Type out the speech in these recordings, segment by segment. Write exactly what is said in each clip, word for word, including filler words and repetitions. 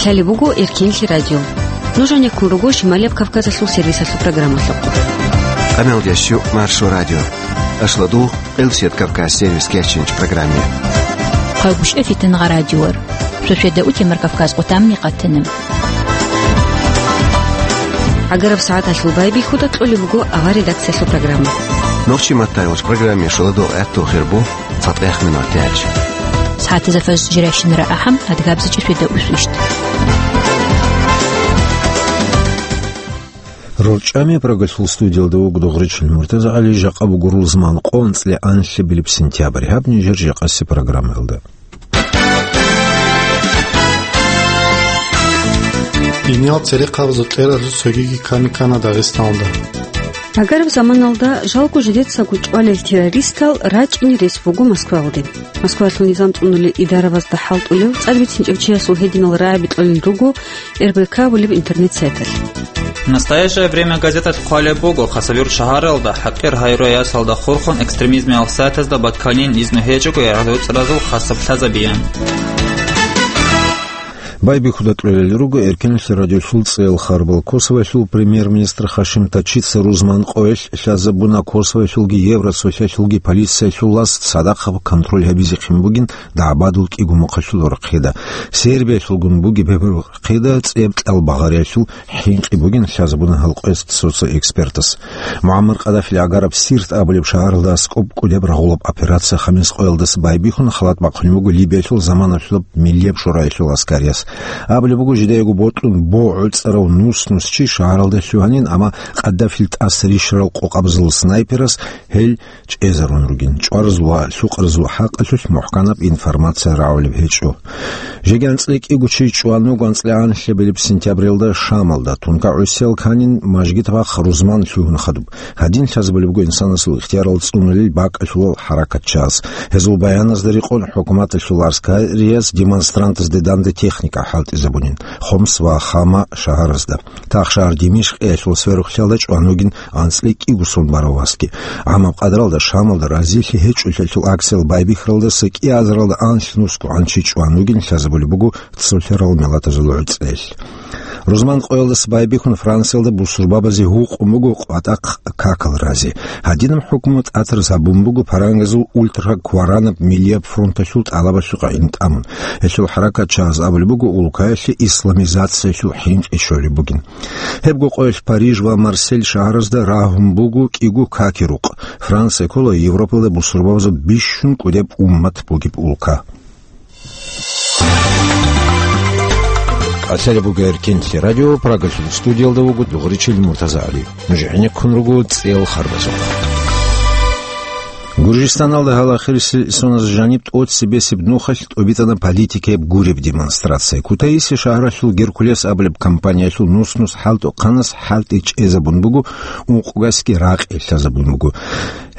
Гьале буго Эркинлъи радио. Нуж гьанеккун руго Шималияб Кавказалъул сервисалъул программалъухъ. Къамелдящу Маршо радио. Ашладу, Къилсият Кавказ сервис кечинч программе. Хъагушев Фитнагъа радиор. Шошеда утемар Кавказ къутамни къатана. Агараб сагӀаталъул байбихьуда кьолеб буго авар редакциялъул программа. Нохчи маттайолч программе шуладо гӀатту хирбу. ЦатӀех минуталъ. СагӀатазда фажр жирайщинара ахӀам, адгабзичӀеб шуьда усвищ. РорчӀами Прагалъул студиялда вуго Дугъричил МуртазагӀали, жакъа буго рузман къо анцӀила анлъабилеб сентябрь. Гьаб нижер жакъаси программаялда. Иниял церехъабазул тӀералъул цогиги ккани ккана Дагъистаналда. Агараб заманалда жалго жидецаго чӀвалел террористал рачӀине рес буго Москваялде. Москваялъул низам цӀунулел идарабазда хӀалтӀулев, цӀар бицинчӀев чиясул гьединал рагӀаби кьолел руго РБК абулеб интернет-сайталъ. Настоящее время газеталъ хъвалеб буго, Хасавюрт шагьаралда, хӀакъир гьайруясалда хурхун, экстремизмиял сайтазда батканин изну гьечӀого гӀадуцӀразул хасаблъазабиян. Байбихьуда кьолел руго Эркинлъи радиолъул цӀел харбал. Косовоялъул премьер-министр Хашим Тачица рузман къоялъ лъазабуна Косовоялъулги Евросоюзалъулги полициялъул лас цадахъ контроль гьабизехъин бугин дагӀбадул кӀиго мухъалъул рахъеда. Сербиялъулгун бугеб гьеб рахъеда цӀеб-кьал багъариялъул хӀинкъи бугин лъазабуна гьал къоялъ цо-цо экспертас. МугӀаммар Къадафил агараб Сирт абулеб шагьаралда аскӀоб кӀудеб рагъулаб операция хамис къоялдаса байбихьун халат бахъунеб буго Либиялъул заманалъулаб Миллияб шораялъул аскарияс. Абулеб буго, жидеего бокьун бо гӀоцӀарав нус-нус чи шагьаралда лъугьанин, амма Къадафил тӀаса рищарал къокъабазул снайперас гьел чӀезарун ругин. ЧӀваразул ва лъукъаразул хӀакъалъулъ мухӀканаб информация рагӀулеб гьечӀо. Жеги анцӀила кӀиго чи чӀван вуго анцӀила анлъабилеб сентябралда Шамалда, тункагӀусиял кканин мажгит-бахъ рузман лъугьун хадуб. Гьадин лъазабулеб буго инсанасул ихтиярал цӀунулел бакӀалъулал хӀаракатчияс. Гьезул баяназда рекъон, хӀукуматалъул гӀаскарияс демонстрантазде данде техника хӀалтӀизабунин Хомс ва Хама шагьаразда. Тахшагьар Димишкъиялъул сверухълъиялда чӀван вугин анцӀила кӀиго сон барав васги. ГӀамаб къадралда Шамалда разилъи гьечӀолъиялъул акциял байбихьаралдаса кӀиазаралда анлънусго гӀанчи чӀван вугин лъазабулеб буго цолъарал миллатазул гӀуцӀрел. Рузман къоялдаса байбихьун Франциялда бусурбабазе гьукъун буго къватӀахъ какал рази. Гьадинаб хӀукму тӀатарзабун буго парангазул ультракваранаб Миллияб фронталъул тӀалабалъухъ гӀин тӀамун. Гьелъул хӀаракатчияз абулеб буго, улкаялъе исламизациялъул хӀинкъи щолеб бугин. Гьебго къоялъ Париж ва Марсель шагьаразда рагьун буго кӀиго каки рукъ. Франция ккола Европалда бусурбабазул бищун кӀудеб уммат бугеб улка. КӀалъалеб буго Эркинлъи радио, Прагалъул студиялда вуго Дугъричил МуртазагӀали. Нуж гӀенеккун руго цӀел харбазухъ. Гуржистаналда гьал ахирисел соназ жаниб тӀоцебесеб нухалъ тӀубитӀана политикаяб гуреб демонстрация. Кутаиси шагьаралъул Геркулес абулеб компаниялъул нус-нус хӀалтӀухъанас хӀалтӀи чӀезабун буго, ункъгасги ракъи лъазабун буго.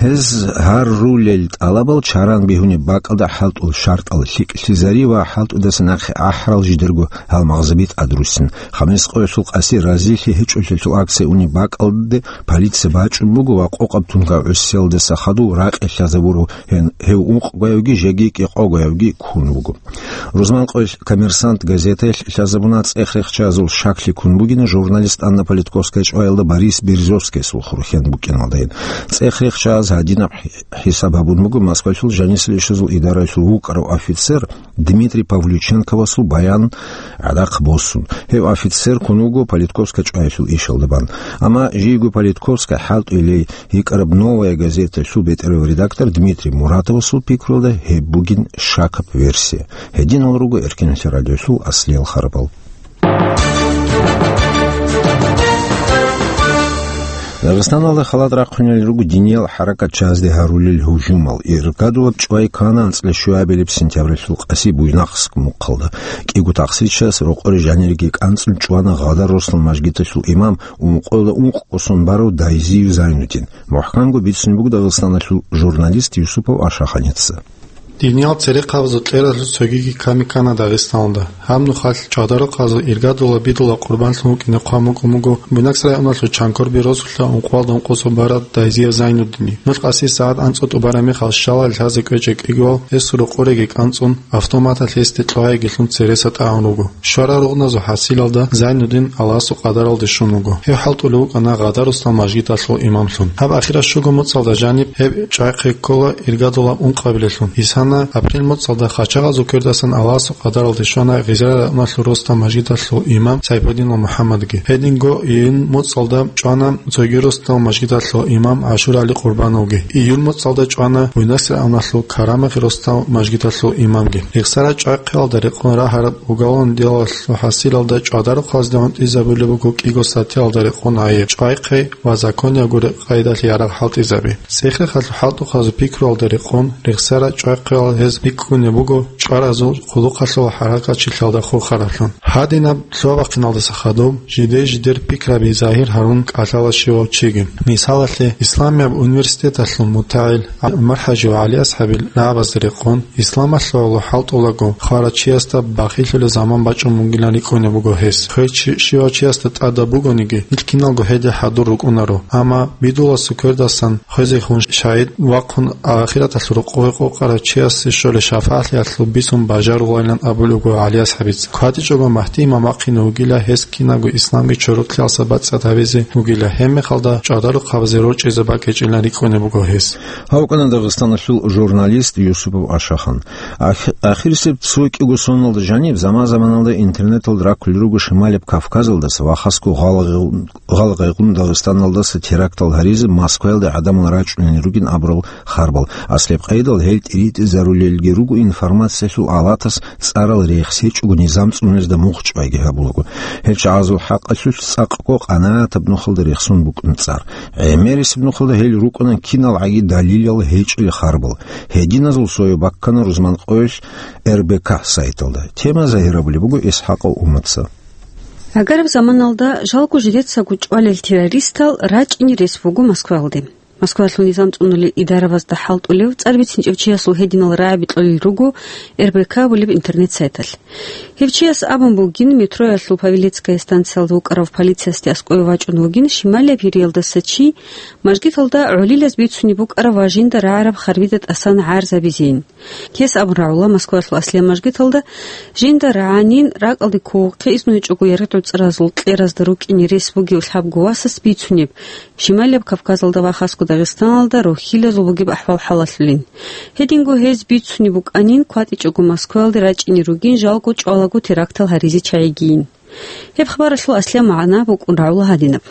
Гьез гьарулел тӀалабал чаран бегьунеб бакӀалда хӀалтӀул шартӀал лъикӀлъизари ва хӀалтӀудаса нахъе ахӀарал жидерго гьалмагъзаби тӀадруссин. Хамис къоялъул къаси разилъи гьечӀолъиялъул акция унеб бакӀалде полиция бачӀун буго ва къокъаб тункагӀусиялдаса хадув ракъи лъазабурав гьен-, гьев ункъгоявги жеги кӀикъогоявги ккун вуго. Рузман къоялъ Коммерсант газетаялъ лъазабуна цӀех-рехчазул щаклъи ккун бугин журналист Анна Политковская чӀваялда Борис Березовскиясул хурхен букӀиналдайин. ЦӀех-рехчаз гьадинаб хӀи-, хӀисаб гьабун буго Москвалъул жанисел ишазул идараялъул вукӀарав офицер Дмитрий Павлюченковасул баян гӀадахъ босун. Гьев офицер ккун вуго Политковская чӀваялъул ишалда бан. Амма жийго Политковская хӀалтӀулей йикӀараб «Новая газеталъул» бетӀерав редактор Дмитрий Муратовасул пикруялда гьеб бугин щакаб версия. Гьединал руго Эркинлъи радиолъул аслиял харбал. Дагъистаналда халат рахъунел руго диниял хӀаракатчазде гьарулел гьужумал. Иргадулаб чӀвай ккана анцӀила щуабилеб сентябралъул къаси Буйнакск мухъалда. КӀиго тахсичас рокъоре жанириги кӀанцӀун чӀвана Гъадар Руслан мажгиталъул имам, ункъоялда ункъго сон барав Дайзиев Зайнудин. МухӀканго бицунеб буго Дагъистаналъул журналист Юсупов Ашаханица. Диниял церехъабазул кьеразул цогиги ками ккана Дагъистаналда. Гьаб нухалъ чӀадарухъазул иргадула бидула къурбанлъун вукӀине хъван букӀун буго Буйнакск районалъул Чанкорби росулъа ункъоялда ункъосул барад Дайзиев Зайнуддине. Нух къаси сагӀат анцӀго тӀубараб мехалъ щалал лъазе кӀвечӀеб кӀигоял гьес рукъуреги кӀанцӀун, автоматалъ гьесде кьвагӀиги лъун цереса тӀагӀун руго. Щварал рукъуназул хӀасилалда Зайнуддин Аллагьасул къадаралде щун вуго. Гьев хӀалтӀулев вукӀана Гъадарусдал мажгиталъул имамлъун. Гьаб ахирал щуго моцӀалда жаниб гьеб чӀвахъе ккола иргадулаб ункъабилелъун. Гьесана апрель моцӀалда хачагъазул квердасан Аллагьасул къадаралде щвана Гъизра районалъул росдал мажгиталъул имам Сайпудинов МухӀаммадги. Гьединго июнь моцӀалда чӀвана цоги росдал мажгиталъул имам ГӀашур ГӀали Къурбановги. Июль моцӀалда чӀвана Буйнакск районалъул Карамахи росдал мажгиталъул имамги. Рехсарал чӀвахъиялда рекъон рагьараб уголовный делалъул хӀасилалда чӀадарухъазде гӀунтӀизабулеб буго кӀиго статьялда рекъон гӀайиб, чӀвахъи ва законияб гуреб къайдалъ ярагъ хӀалтӀизаби. ЦӀехрехалъул хӀалтӀухъазул пикруялда рекъон рехсарал чӀвахъиял гьез бикӀкӀунеб буго чӀваразул хъулухъалъул хӀаракатчилъалда хурхараблъун. Гьадинаб лъугьа-бахъиналдаса хадуб жидер-жидер пикраби загьир гьарун кӀалъала щивав чиги. Мисалалъе, Исламияб университеталъул мутагӀил ГӀумар-хӀажи ва ГӀали-асхӀабил рагӀабазда рекъон, исламалъул гӀоло хӀалтӀулаго хварав чиясда бахиллъулеб заман бачӀун бугилан рикӀкӀунеб буго гьес. Хвел чи-, щивав чиясда тӀадаб бугониги, нилъ киналго гьелде хӀадур рукӀунаро. Амма бидуласул квердасан хвезехун шагьид вахъун ахираталъул рокъове къокъарав чиясе щолеб шафагӀатлъиялъул бицун бажарулайилан абулеб буго ГӀали-асхӀабица. КватӀичӀого Магьди имам вахъине вугила, гьес кинабго исламги чорокьялдаса бацӀцӀад гьабизе вугила, гьебмехалда чӀадарухъабазе рорчӀизе бакӀичӀилан рикӀкӀунеб буго гьес. Гьав вукӀана Дагъистаналъул журналист Юсупов Ашахан. Ах-, ахирисеб цо кӀиго соналда жаниб заман-заманалда интернеталда раккулел руго Шималияб Кавказалдаса ва хасго гъалгъай-, гъалгъайгъун Дагъистаналдаса терактал гьаризе Москваялде гӀадамал рачӀунел ругин абурал харбал. Аслияб къайдал гьел тӀиритӀизарулелги руго информациялъул алатас цӀарал рехс гьечӀого низам цӀунулезда мугъ чӀвайги гьабулаго. Гьел чагӀазул хӀакъалъулъ цӀакъго къанагӀатаб нухалда рехсон букӀун цӀар. ГӀемерисеб нухалда гьел рукӀана кинал гӀаги далилал гьечӀел харбал. Гьединазул цояв баккана рузманкъоялъ РБК сайталда. Тема загьирабулеб буго ИсхӀакъов Уматца. Гьагараб заманалда жалго жидецаго чӀвалел террористал рачӀине рес буго Москваялде. Москваялъул низам цӀунулел идарабазда хӀалтӀулев цӀар бицинчӀев чиясул гьединал рагӀаби кьолел руго РБК абулеб интернет-сайталъ. Гьев чияс абун бугин, метроялъул Павелецкая станциялда вукӀарав полициясде аскӀове вачӀун вугин шималияб Ириялдаса чи, мажгиталда гӀолилаз бицунеб букӀараб ва жинда рагӀараб харбида тӀасан гӀарзабизейин. Гьес абун рагӀула Москваялъул аслияб мажгиталда жинда рагӀанин, ракӀалде кколухъе, изну гьечӀого яргъи-гӀуцӀразул кьеразда рукӀине рес бугев лъабго васас бицунеб, Шималияб Кавказалда ва хасго Дагъистаналда рохьилазул бугеб ахӀвал-хӀалалъулин. Гьединго гьез бицунеб букӀанин, кватӀичӀого Москваялде рачӀине ругин жалго чӀвалаго терактал гьаризе чагӀигийин. Гьеб хабаралъул аслияб магӀна букӀун рагӀула гьадинаб.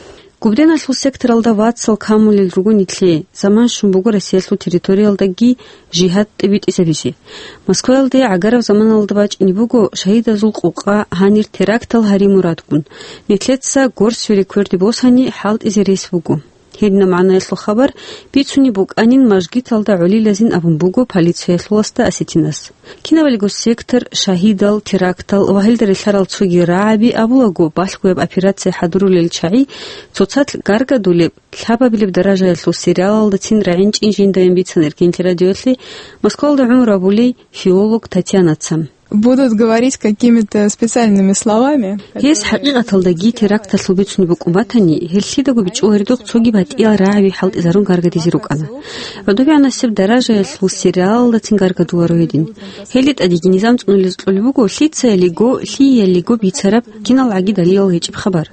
Губденалъул секторалда вацал камулел руго нилъее, заман щун буго Россиялъул территориялдаги жигьад тӀибитӀизабизе. Москваялде гӀагараб заманалда бачӀине буго шагьидазул къокъа гьанир терактал гьари мурадгун. Нилъеца горсире кверде босани хӀалтӀизе рес буго. Гьединаб магӀнаялъул хабар бицунеб букӀанин мажгиталда гӀолилазин абун буго полициялъуласда осетинас. Кинабалиго сектор, шагьидал, терактал ва гьелда релълъарал цоги рагӀаби абулаго, балъгояб операция хӀадурулел чагӀи цоцалъ гаргадулеб, лъабабилеб даражаялъул сериалалдацин рагӀинчӀин жиндаен бицана Эркенлъи радиоялъе Москвалда гӀумру гьабулей филолог Татьянаца. Будут говорить какими-то специальными словами, которые... Гьес хӀакъикъаталдаги теракталъул бицунеб букӀун батани, гьелъидаго бичӀчӀуларидухъ цоги батӀиял рагӀаби хӀалтӀизарун гаргадизе рукӀана. ГӀодобегӀанасеб даражаялъул сериалалдацин гаргадуларо гьедин. Гьелде тӀадеги низам цӀунулез кьолеб буго лъицаялиго, лъиялиго бицараб кинал гӀаги далилал гьечӀеб хабар.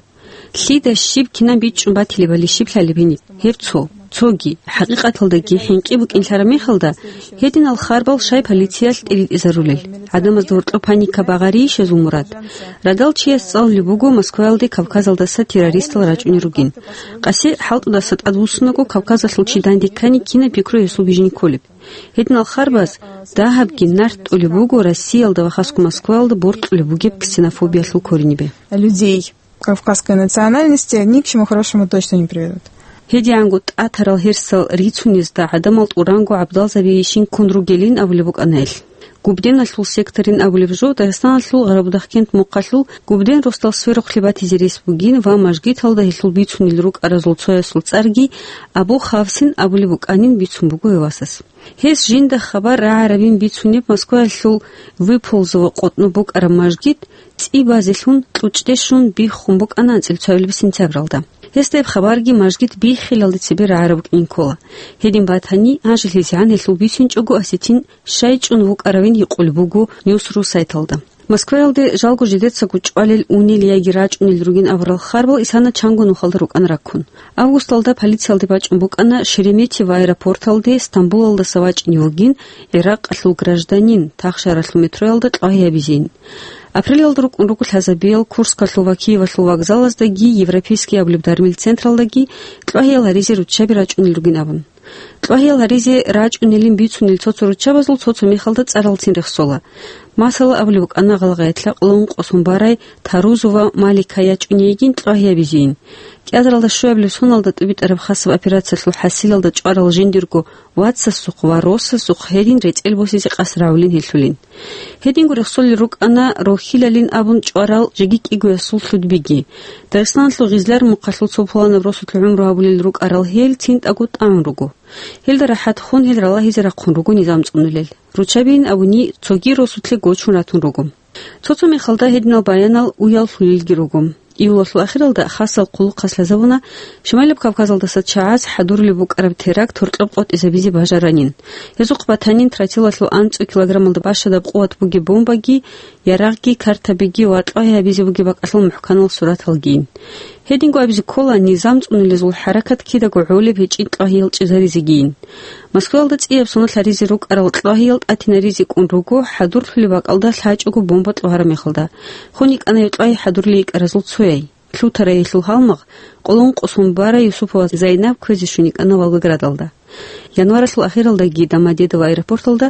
Лъида щиб кинаб бичӀчӀун батилебали щиб лъалеб гьениб? Гьеб цо. Цоги, хӀакъикъаталдаги хӀинкъи букӀинлъараб мехалда, гьединал харбал щай полициялъ тӀиритӀизарулел? ГӀадамазда гьоркьоб паника багъарийищ гьезул мурад? Радал чияс цӀалулеб буго Москваялде Кавказалдаса террористал рачӀунел ругин. Къаси хӀалтӀудаса тӀадвуссунаго Кавказалъул чи данде ккани кинаб пикру гьесул бижизе кколеб? Гьединал харбаз дагьабги нарт тӀолеб буго Россиялда ва хасго Москваялда борцӀулеб бугеб ксенофобиялъул коренибе. Людей кавказской национальности ни к чему хорошему точно не приведут. ГьедигӀанго тӀатарал гьерсал рицунезда гӀадамал тӀуранго гӀабдалзабийищин ккун ругелин абулеб букӀана гьелъ. Губденалъул секторин абулеб жо Дагъистаналъул Гъарабудахкент мухъалъул Губден росдал сверухълъи батизе рес бугин ва мажгиталда гьелъул бицунел рукӀаразул цоясул цӀарги Абу Хавсин абулеб букӀанин бицун буго гьев васас. Гьес жинда хабар рагӀарабин бицунеб Москваялъул Выползово къотӀноб букӀараб мажгит цӀи базелъун кьучӀде щун биххун букӀана анцӀила цоябилеб сентябралда. Гьесда гьеб хабарги мажгит биххилалде цебе рагӀараб букӀин ккола. Гьедин батани, гьанже лъизегӀан гьелъул бицинчӀого осетин щай чӀун вукӀаравин гьикъулеб буго Ньюс ру сайталда. Москваялде жалго жидецаго чӀвалел унел яги рачӀунел ругин абурал харбал исана чанго нухалда рукӀана раккун. Августалда полициялде бачӀун букӀана Шереметьево аэропорталде Стамбулалдаса вачӀине вугин Иракъалъул гражданин, тахшаралъул метроялда кьвагьи гьабизейин. Апрелалда рукӀун руго лъазабиял Курскалъул ва Киевалъул вокзалаздаги Европейский абулеб дармил централдаги кьвагьиял гьаризе руччаби рачӀунел ругин абун. Кьвагьиял гьаризе рачӀунелин бицунел цо-цо руччабазул цо-цо мехалда цӀаралцин рехсола. Масала, абулеб букӀана гъалгъаятла кьолон къосун барай Тарузова Малика ячӀунейгин кьвагьи гьабизейин. КӀиазаралда щуабилеб соналда тӀубитӀараб хасаб операциялъул хӀасилалда чӀварал жиндирго вацасухъ ва росасухъ гьедин рецӀел босизе къасд рагӀулин гьелъулин. Гьединго рехсолел рукӀана рохьилалин абун чӀварал жеги кӀигоясул лъудбиги. Дагъистаналъул Гъизлар мухъалъул цо пуланаб росулъ гӀумру гьабулел рукӀарал гьел цинтӀаго тӀагӀун руго. Гьелда рахӀат хун, гьел ралагьизе рахъун руго низам цӀунулел. Руччабийин абуни, цоги росулъе гочун ратун руго. Цо-цо мехалда гьединал баянал уяллъулелги руго. Июлалъул ахиралда хасал хъулухъалъ лъазабуна Шималаб Кавказалдаса чагӀаз хӀадурулеб букӀараб теракт гьоркьоб къотӀизабизе бажаранин. Гьезухъ батанин тротилалъул анцӀу килограммалда бащадаб къуват бугеб бомбаги, ярагъги, картабиги ва кьвагьи гьабизе бугеб бакӀалъул мухӀканал сураталгийин. Гьединго абизе ккола, низам цӀунулезул хӀаракат кидаго гӀолеб гьечӀин кьвагьиял чӀезаризегийин. Москваялда цӀияб соналъ гьаризе рукӀарал кьвагьиял тӀатинаризе кӀун руго, хӀадурлъулеб бакӀалда лъачӀого бомба кьвагьараб мехалда. Хун йикӀана гьев кьвагьи хӀадурлъи йикӀаразул цояй. Лъутарай гьелъул гьалмагъ, кьолон къосун барай Юсупова Зайнаб кквезе щун йикӀана Волгоградалда. Январалъул ахиралдаги Домодедово аэропорталда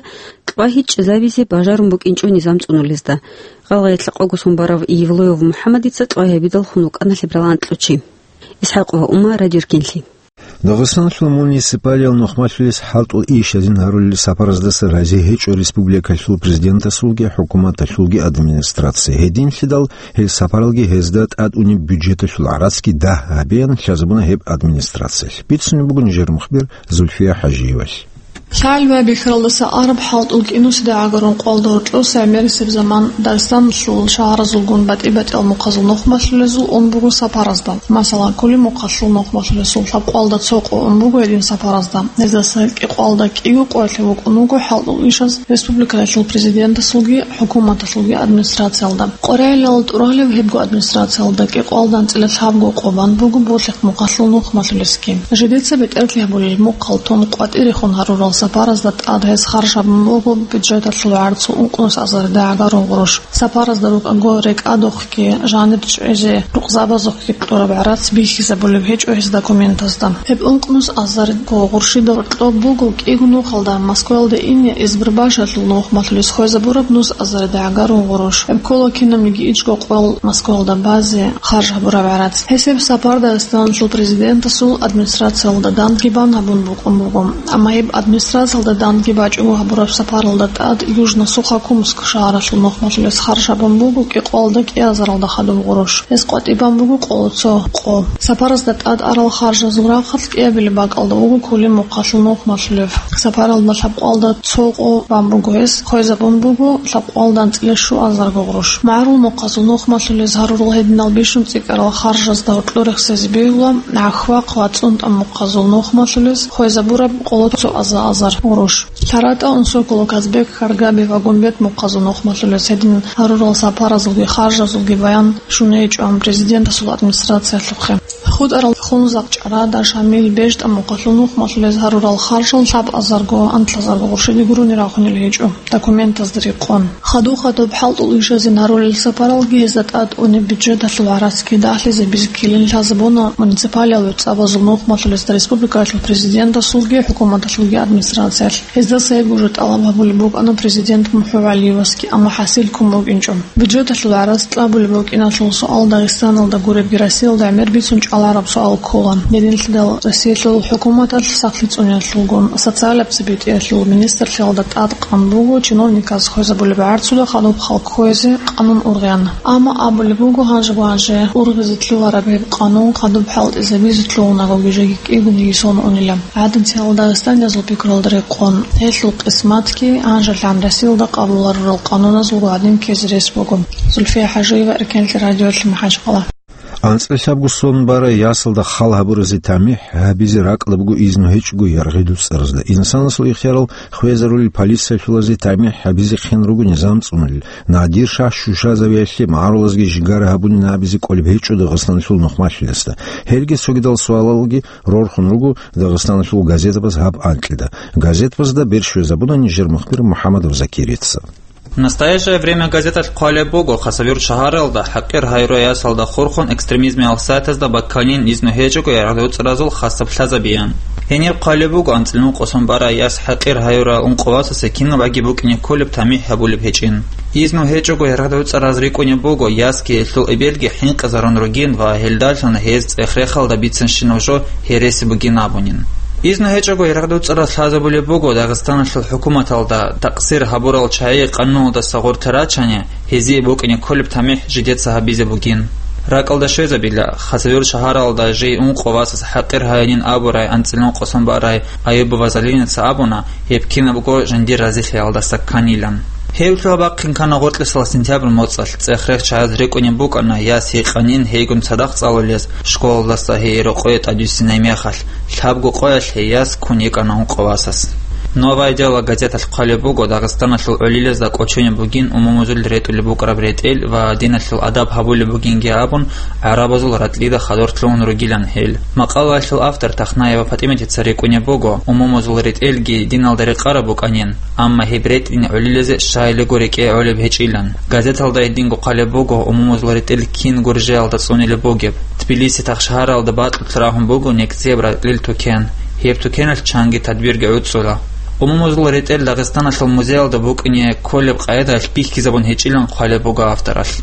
кьвагьи чӀезабизе бажарун букӀинчӀо низам цӀунулезда. Гъалгъаялъа къого сон барав Евлоев МухӀаммадица кьвагьи гьабидал хун вукӀана лъебералан анкьучи. ИсхӀакъова Ума, Радио Эркинлъи. Дагъистаналъул муниципалиял нухмалъулес хӀалтӀул ишазин гьарулел сапараздаса рази гьечӀо республикалъул президентасулги хӀукуматалъулги администрация. Гьединлъидал гьел сапаралги гьезда тӀад унеб бюджеталъул гӀарацги дагь гьабеян лъазабуна гьеб администрациялъ. Бицунеб буго нижер мухбир Зульфия ХӀажиевалъ. Лъалбай бихьаралдаса араб хӀалтӀул кӀинусида гӀагарун къвалда гьоркьоса гӀемерисеб заман Дагъистаналъул шагьаразулгун батӀи-батӀиял мухъазул нухмалъулезул ун буго сапаразда. Масала, Кулимухъалъул нухмалъулесул лъабкъвалда цо къо ун буго гьедин сапаразда. Гьездаса кӀикъвалда кӀиго къоялъе вукӀун вуго хӀалтӀул ишаз республикалъул президентасулги хӀукуматалъулги администрациялда. Къорайилал тӀуралев гьебго администрациялда кӀикъвалда анцӀила лъабго къо бан буго Болъихъ мухъалъул нухмалъулесги. Жидеца бетӀерлъи гьабулел мухъал тун къватӀирехун гьарурал сапаразда тӀад гьес харж гьабун буго бюджеталъул гӀарцул ункънус азарда гӀагарун гъурущ. Сапаразда рукӀаго рекӀадухъги, жанир чӀвезе, рукъзабазухъги кьураб гӀарац бихьизабулеб гьечӀо гьез документазда. Гьеб ункънус азарго гъурщида гьоркьоб буго кӀиго нухалда Москваялде ине Избербашалъул нухмалъулес хвезабураб нус азарда гӀагарун гъурущ. Гьеб ккола кинабниги ичӀго къоял Москваялда базе харж гьабураб гӀарац. Гьесеб сапар Дагъистаналъул президентасул администрациялда дандги бан гьабун букӀун буго. Амма гьеб администрациялда дандги бачӀого гьабураб сапаралда тӀад Южно-Сухокумск шагьаралъул нухмалъулес харж гьабун буго кӀикъвалда кӀиазаралда хадуб гъурущ. Гьес къватӀибан буго къоло цо къо. Сапаразда тӀад арал харжазул рахъалъ кӀиабилеб бакӀалда вуго Кулимухъалъул нухмалъулев. Сапаралда лъабкъвалда цо къо бан буго гьес, хвезабун буго лъабкъвалда анцӀила щуазарго гъурущ. МагӀарул мухъазул нухмалъулез гьарурал гьединал бищун цӀикӀкӀарал харжазда гьоркьор рехсезе бегьула, гӀахьвахъ ва цӀунтӀа мухъазул нухмалъулез хвезабураб къоло цо аза-азар гъурущ. ЛъаратӀа Унсоколо, Казбек, Каргаби ва Гумбет мухъазул нухмалъулез гьедин гьарурал сапаразулги харжазулги баян щун гьечӀо президентасул администрациялъухъе. ХутӀарал Хунзахъ, ЧӀарада, Шамил, БежтӀа мухъалъул нухмалъулез гьарурал харжал лъабазарго, анлъазарго гъурщиде гурони рахунел гьечӀо документазда рекъон. Хадуб-хадуб хӀалтӀул ишазин гьарулел сапаралги гьезда тӀад унеб бюджеталъул гӀарацги дагьлъизабизе ккелин лъазабуна муниципалиял вебцӀабазул нухмалъулезда республикалъул президентасулги хӀукуматалъулги администрациялъулги. администрациялъ. Гьезда цебе уже тӀалаб гьабулеб букӀана президент МухӀу ГӀалиевасги, амма хӀасил ккун букӀинчӀо. Бюджеталъул гӀарац кьабулеб букӀиналъул суал Дагъистаналда гуребги Россиялда гӀемер бицун чӀалараб суал ккола. Гьединлъидал Россиялъул хӀукуматалъ сахлъи цӀуниялъулгун социалаб цебетӀиялъул министрлъиялда тӀадкъан буго чиновниказ хвезабулеб гӀарцуда хадуб халкъ хвезе къанун ургъан. Амма абулеб буго, гьанже-гьанже ургъизе лъугьараб гьеб къанун хадуб хӀалтӀизабизе лъугьунагоги жеги кӀигун йисон унила. ГӀадамал дагъистаниязул пикруялда рекъон, гьелъул къисматги гьанжелъан Россиялда къабуларурал къануназулго гӀадин ккезе рес буго. Зульфия ХӀажиева, Эркенлъи радиолъи, МахӀачхъала. АнцӀила лъабго сон барай ясалда хал гьабуразе тамихӀ гьабизе ракӀалда буго изну гьечӀого яргъи дуцӀаразда. Инсанасул ихтиярал хвезарулел полициялъулазе тамихӀ гьабизе хъен руго низам цӀунулел. Надир-шагь щущазавиялъе магӀарулазги жигара гьабунин абизе кӀолеб гьечӀо Дагъистаналъул нухмалъиласда. Гьелги цогидал суалалги рорхун руго Дагъистаналъул газетабаз гьаб анкьида. Газетабазда бер щвезабуна нижер мухбир МухӀаммадов Закирица. «Настоящее время» газеталъ хъвалеб буго, Хасавюрт шагьаралда хӀакъир гьаюрай ясалда хурхун экстремизмиял сайтазда бакканин изну гьечӀого яргъи дуцӀаразул хасаб лъазабиян. Гьенир хъвалеб буго анцӀила ункъо сон барай яс хӀакъир гьаюрай ункъо васасе кинаб аги букӀине кколеб тамихӀ гьабулеб гьечӀин. Изну гьечӀого яргъи дуцӀараз рикӀкӀунеб буго, ясги гьелъул эбелги хӀинкъизарун ругин ва гьелдалъун гьез цӀех-рехалда бицанщинаб жо гьереси бугин абунин. Изну гьечӀого яргъи дуцӀараз лъазабулеб буго Дагъистаналъул хӀукуматалда, такъсир гьабурал чагӀи къануналдаса гъоркье рачани, гьезие букӀине кколеб тамихӀ жидеца гьабизе бугин. РакӀалда щвезабила, Хасавюрт шагьаралда жий ункъо васас хӀакъир гьаянин абурай анцӀила ункъо сон барай Аюбова Залиница абуна, гьеб кинабго жиндир разилъиялдаса кканилан. Гьеб лъугьа-бахъин ккана гъоркьисал сентябрь моцӀалъ. ЦӀех-рех чагӀаз рикӀкӀунеб букӀана яс гьикъанин гьейгун цадахъ цӀалулез, школалдаса гьей рокъое тӀадвиссинай мехалъ. Лъабго къоялъ гьей яс ккун йикӀана ункъо васас. «Новое дело» газеталъ хъвалеб буго, Дагъистаналъул гӀолилазда кӀочонеб бугин умумузул ретӀулеб букӀараб ретӀел ва диналъул адаб гьабулеб бугинги абун, гӀарабазул ратӀлида хадур лъугьун ругилан гьел. Макъалаялъул автор Тахнаева ПатӀиматица рикӀкӀунеб буго, умумузул ретӀелги диналда рекъараб букӀанин, амма гьеб ретӀин гӀолилазе щайилего рекӀее гӀолеб гьечӀилан. Газеталда гьединго хъвалеб буго умумузул ретӀел кин гуржеялда цӀунилеб бугеб. Тбилиси тахшагьаралда бакьулъ рагьун буго нек-цеб ратӀлил тукен. Гьеб тукеналъ чанги тадбирги гӀуцӀула. Умумузул ретӀел Дагъистаналъул музеялда букӀине кколеб къайдаялъ бихьизабун гьечӀилан хъвалеб буго авторалъ.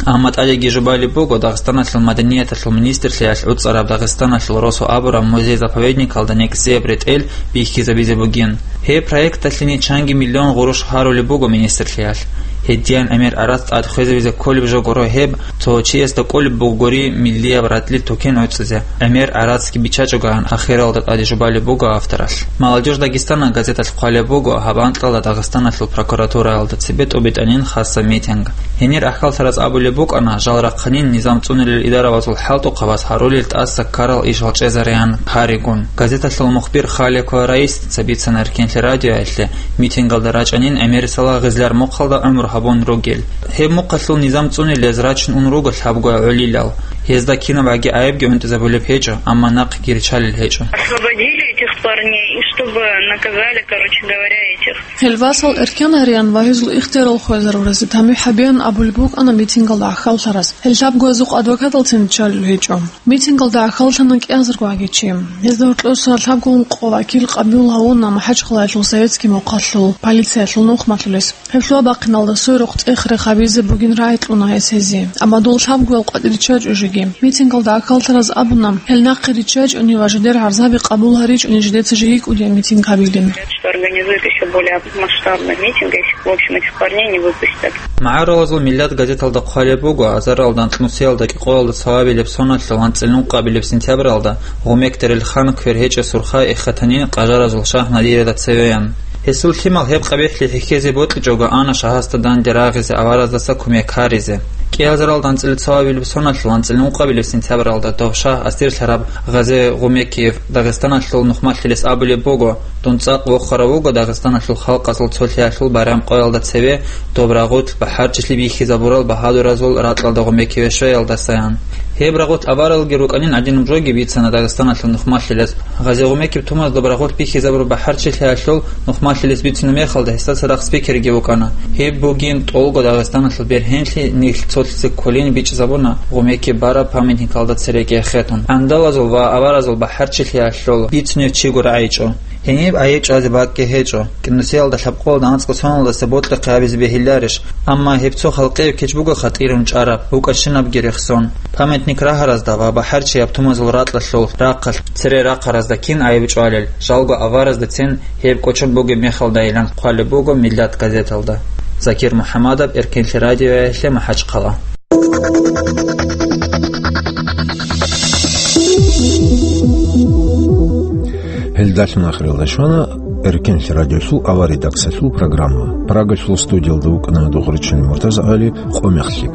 Амма тӀадеги жубалеб буго Дагъистаналъул маданияталъул министрлъиялъ гӀуцӀараб Дагъистаналъул росу абураб музей-заповедникалда нек-цеб ретӀел бихьизабизе бугин. Гьеб проекталъе нечанги миллион гъурущ гьарулеб буго министрлъиялъ. Гьединан гӀемер гӀарац тӀад хвезавизе кколеб жо гуро гьеб, цо чиясда кӀолеб бугони миллияб ратӀлил тукен гӀуцӀизе, гӀемер гӀарацги биччачӀогоян ахиралда тӀаде жубалеб буго авторалъ. «Молодёжь Дагестана» газеталъ хъвалеб буго, гьаб анкьалда Дагъистаналъул прокуратураялда цебе тӀубитӀанин хасаб митинг. Гьенир ахӀваллъараз абулеб букӀана, жал рахъанин низам цӀунулел идаравазул хӀалтӀухъабаз гьарулел тӀаса ккарал ишал чӀезареян гьаригун. Газеталъул мухбир Халикова Раисица бицана Эркенлъи радиоялъе, митингалда рачӀанин гӀемерисела гъезлъар мухъалда гӀумру гьабун ругел. Гьеб мухъалъул низам цӀунилез рачун ун руго лъабго гӀолилал. Гьезда кинаб гӀаги гӀайибги гӀунтӀизабулеб гьечӀо, амма нахъги риччалел гьечӀо. Освободили этих парней и чтобы наказали, короче говоря, этих. Гьел васал эркен гьариян ва гьезул ихтиярал хвезаруразе тамихӀ гьабеян абулеб букӀана митингалда ахӀваллъараз. Гьел лъабгоязухъ адвокаталцин риччалел гьечӀо. Митингалда ахӀваллъана кӀиазарго гӀагичи. Гьезда гьоркьоса лъабго ункъо вакил къабул гьавуна МахӀачхъалаялъул советский мухъалъул полициялъул нухмалъулес. Гьеб лъугьа-бахъиналда сверухъ цӀех-рех гьабизе бугин рагӀи кьуна гьес гьезие. Амма дол лъабгоял къватӀир риччачӀо жеги. Митингалда ахӀваллъараз абуна, гьел нахъе риччачӀони ва жидер гӀарзаби къабул гьаричӀони жидеца жеги кӀудияб митинг гьабилин. Что организует ещё более масштабный митинг, если, в общем, этих парней не выпустят. «МагӀарулазул миллат» газеталда хъвалеб буго, азаралда анкьнусиялда кӀикъоялда цоабилеб соналъул анцӀила ункъабилеб сентябралда Гъумекдерил хан квер гьечӀеб Сурхай эхетанин къажаразул шагь Надирада цевеян. Гьесул лъимал гьеб къабихӀлъи хӀехьезе бокьичӀого ана шагьасда данде рагъизе авараздаса кумек гьаризе. КӀиазаралда анцӀила цоабилеб соналъул анцӀила ункъабилеб сентябралда дов шагь асирлъараб Гъазе Гъумекиев Дагъистаналъул нухмалъилес абулеб буго, дун цӀакъ вохарав вуго Дагъистаналъул халкъазул цолъиялъул байрам къоялда цеве доб рагъулъ бахӀарчилъи бихьизабурал багьадуразул ракьалда Гъумекиеве щвеялдасаян. Гьеб рагъулъ аваралги рукӀанин гӀадинаб жоги бицана Дагъистаналъул нухмалъилес. Гъазе Гъумекиев Тумаз доб рагъулъ бихьизабураб бахӀарчилъиялъул нухмалъилес бицунеб мехалда гьесда цадахъ спикерги вукӀана. Гьеб бугин тӀолго Дагъистаналъул бергьенлъи нилъ цолъизе кколин бичӀчӀизабуна Гъумекиев бараб памятникалда цереги эхетун. ГӀандалазул ва аваразул бахӀарчилъиялъул бицунев чиго рагӀичӀо. Гьениб айиб чӀвазе бакӀги гьечӀо. КӀинусиялда лъабкъоялда анцӀго соналдаса бокьухъе гьабизе бегьиларищ? Амма гьеб цо халкъияб кечбуго хатӀирун чӀараб, букӀа-щинабги рехсон. Памятник рагьаразда ва бахӀарчияб тумазул ракьалъул рахъалъ цере рахъаразда кин айиб чӀвалел, жалго авараздацин гьеб кӀочон бугеб мехалдайилан хъвалеб буго Миллат газеталда. Закир МухӀаммадов, Эркенлъи радиоялъе, МахӀачхъала. Гьелдалъун ахиралда щвана Эркенлъи радиосул аваридаксалъул программа. Прагалъул студиялда вукӀана Дугъричил МуртазагӀали, къо мехлъи.